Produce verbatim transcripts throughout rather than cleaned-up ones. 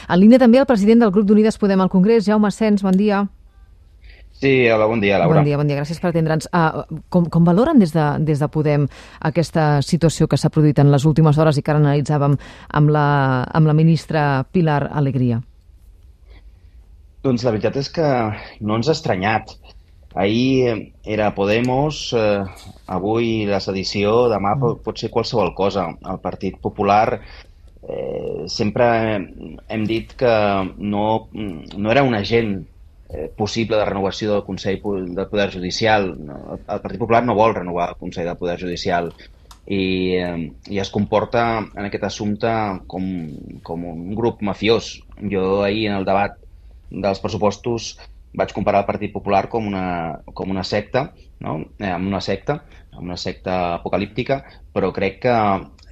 En línia també el president del grup d'Unides Podem al Congrés, Jaume Asens, bon dia. Sí, hola, bon dia, Laura. Bon dia, bon dia, gràcies per atendre'ns. Uh, com, com valoren des de, des de Podem aquesta situació que s'ha produït en les últimes hores i que ara analitzàvem amb la, amb la ministra Pilar Alegría? Doncs la veritat és que no ens ha estranyat. Ahir era Podemos, eh, avui la sedició, demà mm. pot ser qualsevol cosa. El Partit Popular eh, sempre hem dit que no, no era un agent Eh, possible de renovació del Consell del Poder Judicial. El Partit Popular no vol renovar el Consell del Poder Judicial i, eh, i es comporta en aquest assumpte com, com un grup mafiós. Jo ahir en el debat dels pressupostos vaig comparar el Partit Popular com una, com una secta, no? eh, amb una secta, amb una secta apocalíptica, però crec que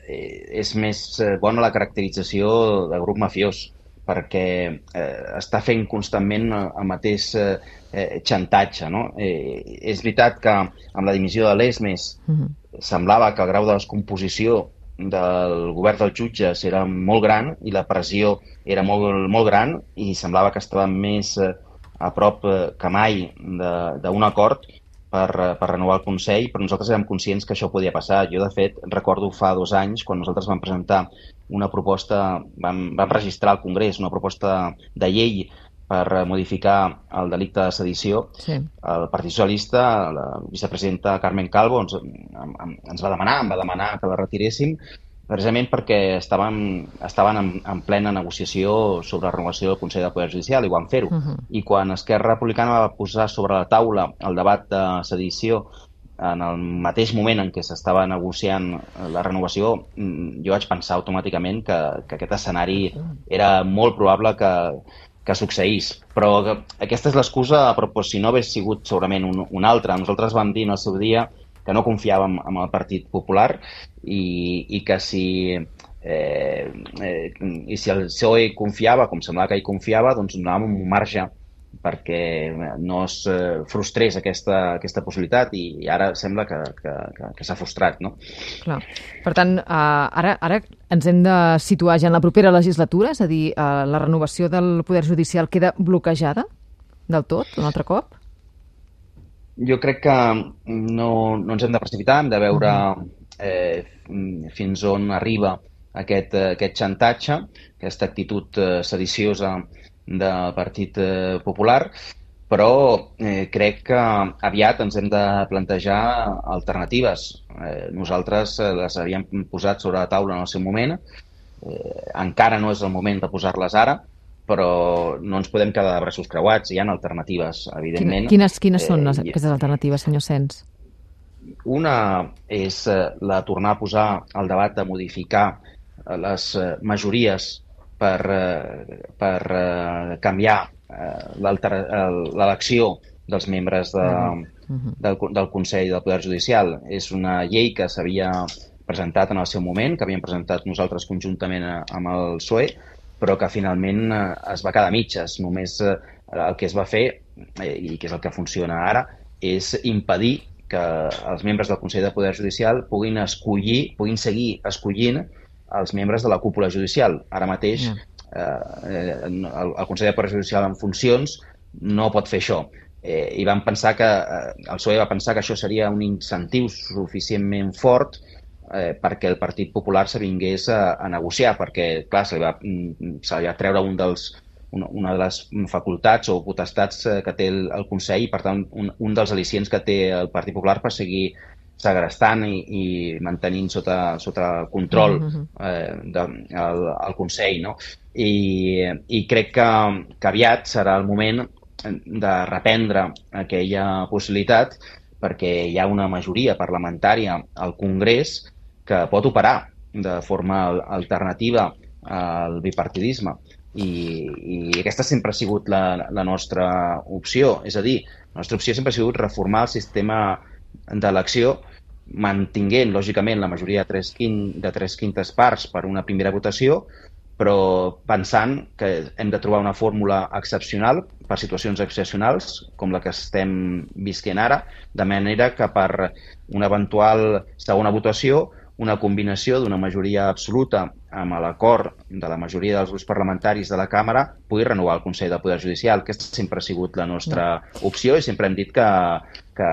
eh, és més bona la caracterització de grup mafiós, perquè eh, està fent constantment el mateix eh, xantatge. No? Eh, és veritat que amb la dimissió de l'Esmes uh-huh. semblava que el grau de descomposició del govern dels jutges era molt gran i la pressió era molt, molt gran i semblava que estava més eh, a prop eh, que mai d'un acord per, per renovar el Consell, però nosaltres érem conscients que això podia passar. Jo, de fet, recordo fa dos anys, quan nosaltres vam presentar una proposta, vam, vam registrar al Congrés una proposta de llei per modificar el delicte de sedició. Sí. El Partit Socialista, la vicepresidenta Carmen Calvo, ens, ens va demanar, em va demanar que la retiréssim, precisament perquè estaven, estaven en, en plena negociació sobre la renovació del Consell del Poder Judicial i ho van fer-ho. Uh-huh. I quan Esquerra Republicana va posar sobre la taula el debat de sedició en el mateix moment en què s'estava negociant la renovació, jo vaig pensar automàticament que, que aquest escenari era molt probable que, que succeís. Però aquesta és l'excusa, però si no hagués sigut segurament un, un altre. Nosaltres vam dir en el seu dia que no confiàvem en el Partit Popular i, i que si, eh, eh, i si el P S O E confiava, com semblava que ell confiava, doncs donàvem un marge perquè no es eh, frustrés aquesta, aquesta possibilitat i ara sembla que, que, que, que s'ha frustrat, no? Clar. Per tant, uh, ara, ara ens hem de situar ja en la propera legislatura, és a dir, uh, la renovació del Poder Judicial queda bloquejada del tot, un altre cop? Jo crec que no, no ens hem de precipitar, hem de veure eh, fins on arriba aquest, aquest xantatge, aquesta actitud eh, sediciosa del Partit Popular, però eh, crec que aviat ens hem de plantejar alternatives. Eh, nosaltres les havíem posat sobre la taula en el seu moment, eh, encara no és el moment de posar-les ara, però no ens podem quedar de braços creuats, hi ha alternatives, evidentment. Quines, quines són les, eh, aquestes alternatives, senyor Asens? Una és la tornar a posar al debat de modificar les majories per, per uh, canviar uh, l'elecció dels membres de, uh-huh. del, del Consell del Poder Judicial. És una llei que s'havia presentat en el seu moment, que havíem presentat nosaltres conjuntament amb el P S O E, però que finalment uh, es va quedar a mitges. Només uh, el que es va fer, eh, i que és el que funciona ara, és impedir que els membres del Consell del Poder Judicial puguin escollir, puguin seguir escollint els membres de la cúpula judicial. Ara mateix yeah. eh, el, el Consell del Poder Judicial en funcions no pot fer això. Eh, I vam pensar que, eh, el P S O E va pensar que això seria un incentiu suficientment fort eh, perquè el Partit Popular s'avingués a, a negociar, perquè, clar, se li va, se li va treure un dels, una, una de les facultats o potestats que té el, el Consell i, per tant, un, un dels al·licients que té el Partit Popular per seguir segrestant i, i mantenint sota, sota control eh, de, el, el Consell, no? I, i crec que, que aviat serà el moment de reprendre aquella possibilitat perquè hi ha una majoria parlamentària al Congrés que pot operar de forma alternativa al bipartidisme i, i aquesta sempre ha sigut la, la nostra opció. És a dir, la nostra opció sempre ha sigut reformar el sistema d'elecció mantinguent, lògicament, la majoria de tres, quin, de tres quintes parts per una primera votació, però pensant que hem de trobar una fórmula excepcional per situacions excepcionals, com la que estem visquent ara, de manera que per una eventual segona votació una combinació d'una majoria absoluta amb l'acord de la majoria dels grups parlamentaris de la Càmera pugui renovar el Consell del Poder Judicial. Aquesta sempre ha sigut la nostra opció i sempre hem dit que, que,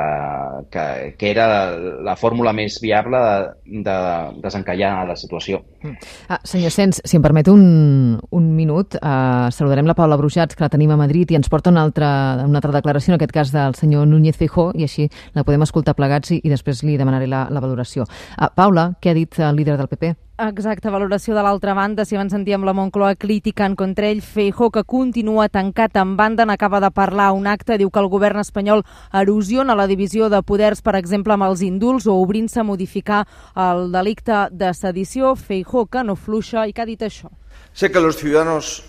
que, que era la fórmula més viable de, de desencallar la situació. Ah, senyor Sens, si em permet un, un minut, eh, saludarem la Paula Brujats, que la tenim a Madrid, i ens porta una altra, una altra declaració, en aquest cas del senyor Núñez Feijóo, i així la podem escoltar plegats i, i després li demanaré la, la valoració. Ah, Paula, què ha dit el líder del P P? Exacte, valoració de l'altra banda. Si abans sentíem la Moncloa criticant contra ell, Feijóo, que continua tancat en banda, n'acaba de parlar a un acte, diu que el govern espanyol erosiona la divisió de poders, per exemple, amb els indults o obrint-se a modificar el delicte de sedició. Feijóo, que no fluixa, i que ha dit això. Sé que los ciudadanos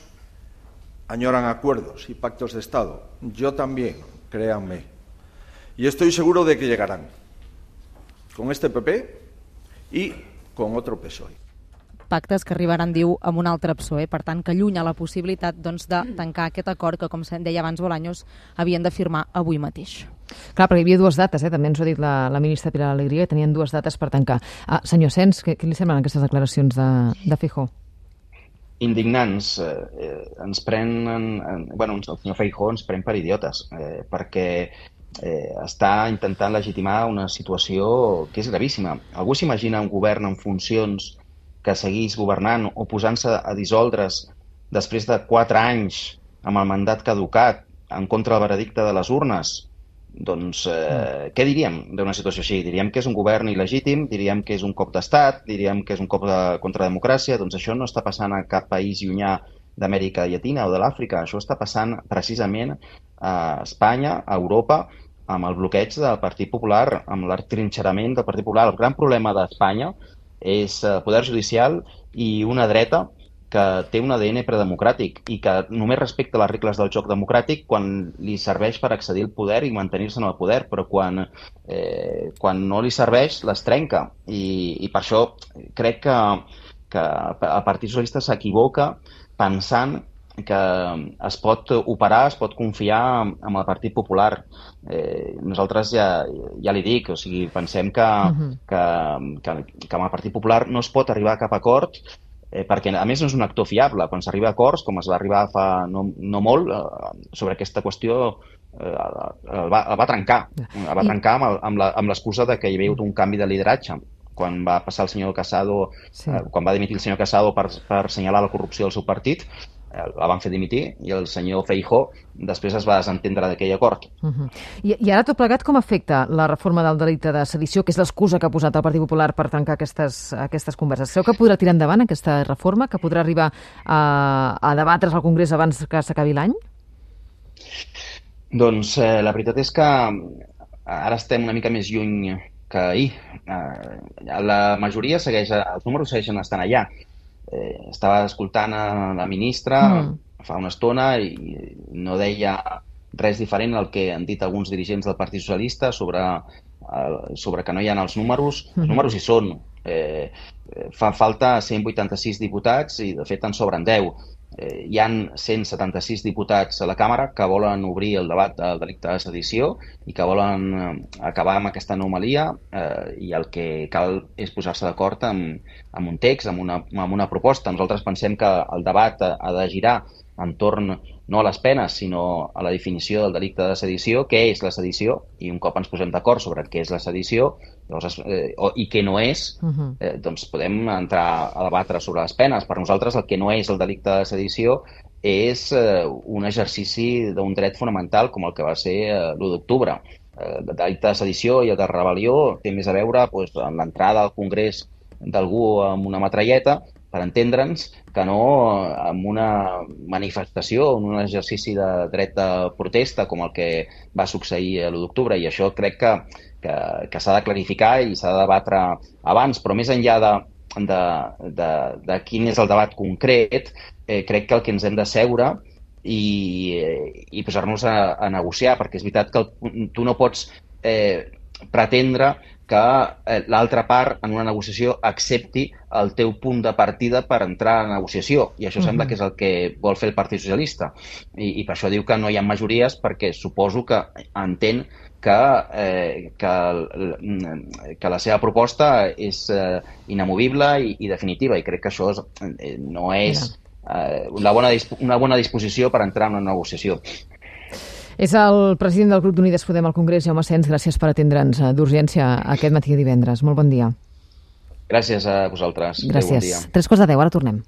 añoran acuerdos y pactos de Estado. Yo también, créanme. Y estoy seguro de que llegarán. Con este P P y con otro P S O E. Pactes que arribaran, diu, amb un altre P S O E, per tant, que allunya la possibilitat doncs, de tancar aquest acord que, com deia abans Bolaños, havien de firmar avui mateix. Clar, perquè hi havia dues dates, eh? També ens ho ha dit la, la ministra Pilar Alegría, que tenien dues dates per tancar. Ah, senyor Sens, què, què li semblen aquestes declaracions de, de Feijóo? Indignants. Eh, ens prenen... En, bueno, el senyor Feijóo ens pren per idiotes, eh, perquè eh, està intentant legitimar una situació que és gravíssima. Algú s'imagina un govern en funcions que seguís governant o posant-se a dissoldre's després de quatre anys amb el mandat caducat en contra del veredicte de les urnes? Doncs eh, què diríem d'una situació així? Diríem que és un govern il·legítim, diríem que és un cop d'estat, diríem que és un cop de, contra la democràcia. Doncs això no està passant a cap país llunyà d'Amèrica Llatina o de l'Àfrica. Això està passant precisament a Espanya, a Europa, amb el bloqueig del Partit Popular, amb l'atrinxerament del Partit Popular. El gran problema d'Espanya és el poder judicial i una dreta que té un A D N predemocràtic i que només respecta les regles del joc democràtic quan li serveix per accedir al poder i mantenir-se en el poder, però quan, eh, quan no li serveix les trenca. I, i per això crec que, que el Partit Socialista s'equivoca pensant que es pot operar, es pot confiar en el Partit Popular. Eh, nosaltres ja, ja li dic, o sigui, pensem que, uh-huh. que, que, que amb el Partit Popular no es pot arribar a cap acord, eh, perquè a més no és un actor fiable. Quan s'arriba a acords, com es va arribar fa no, no molt, eh, sobre aquesta qüestió eh, el, va, el va trencar. El va trencar amb l'excusa de que hi havia hagut un canvi de lideratge. Quan va passar el senyor Casado, sí. eh, quan va dimitir el senyor Casado per, per assenyalar la corrupció del seu partit, la van fer dimitir i el senyor Feijóo després es va desentendre d'aquell acord. Uh-huh. I, I ara tot plegat com afecta la reforma del delicte de sedició, que és l'excusa que ha posat el Partit Popular per tancar aquestes, aquestes converses? Creu que podrà tirar endavant aquesta reforma, que podrà arribar a, a debatre's al Congrés abans que s'acabi l'any? Doncs eh, la veritat és que ara estem una mica més lluny que ahir. Eh, la majoria segueix, els números segueixen estant allà. Eh, estava escoltant a la ministra mm. fa una estona i no deia res diferent al que han dit alguns dirigents del Partit Socialista sobre, eh, sobre que no hi ha els números. Mm. Els números hi són. Eh, fa falta cent vuitanta-sis diputats i de fet en sobren deu. Eh, hi han cent setanta-sis diputats a la Càmera que volen obrir el debat del delicte de sedició i que volen eh, acabar amb aquesta anomalia eh, i el que cal és posar-se d'acord amb, amb un text, amb una, amb una proposta. Nosaltres pensem que el debat ha, ha de girar entorn no a les penes, sinó a la definició del delicte de sedició, què és la sedició, i un cop ens posem d'acord sobre què és la sedició llavors, eh, o, i què no és, eh, doncs podem entrar a debatre sobre les penes. Per nosaltres el que no és el delicte de sedició és eh, un exercici d'un dret fonamental com el que va ser eh, l'u d'octubre. Eh, el delicte de sedició i el de rebel·lió té més a veure doncs, amb l'entrada al Congrés d'algú amb una metralleta, per entendre'ns, que no amb una manifestació, en un exercici de dret de protesta com el que va succeir l'u d'octubre. I això crec que, que, que s'ha de clarificar i s'ha de debatre abans. Però més enllà de, de, de, de quin és el debat concret, eh, crec que el que ens hem d'asseure i, i posar-nos a, a negociar, perquè és veritat que el, tu no pots eh, pretendre que l'altra part en una negociació accepti el teu punt de partida per entrar a la negociació. I això uh-huh. sembla que és el que vol fer el Partit Socialista. I, i per això diu que no hi ha majories, perquè suposo que entén que, eh, que, que la seva proposta és eh, inamovible i, i definitiva, i crec que això és, eh, no és eh, una, bona una bona disposició per entrar en una negociació. És el president del grup d'Unides Podem al Congrés, Jaume Asens. Gràcies per atendre'ns d'urgència aquest matí de divendres. Molt bon dia. Gràcies a vosaltres. Gràcies. Bon dia. Tres quarts de deu, ara tornem.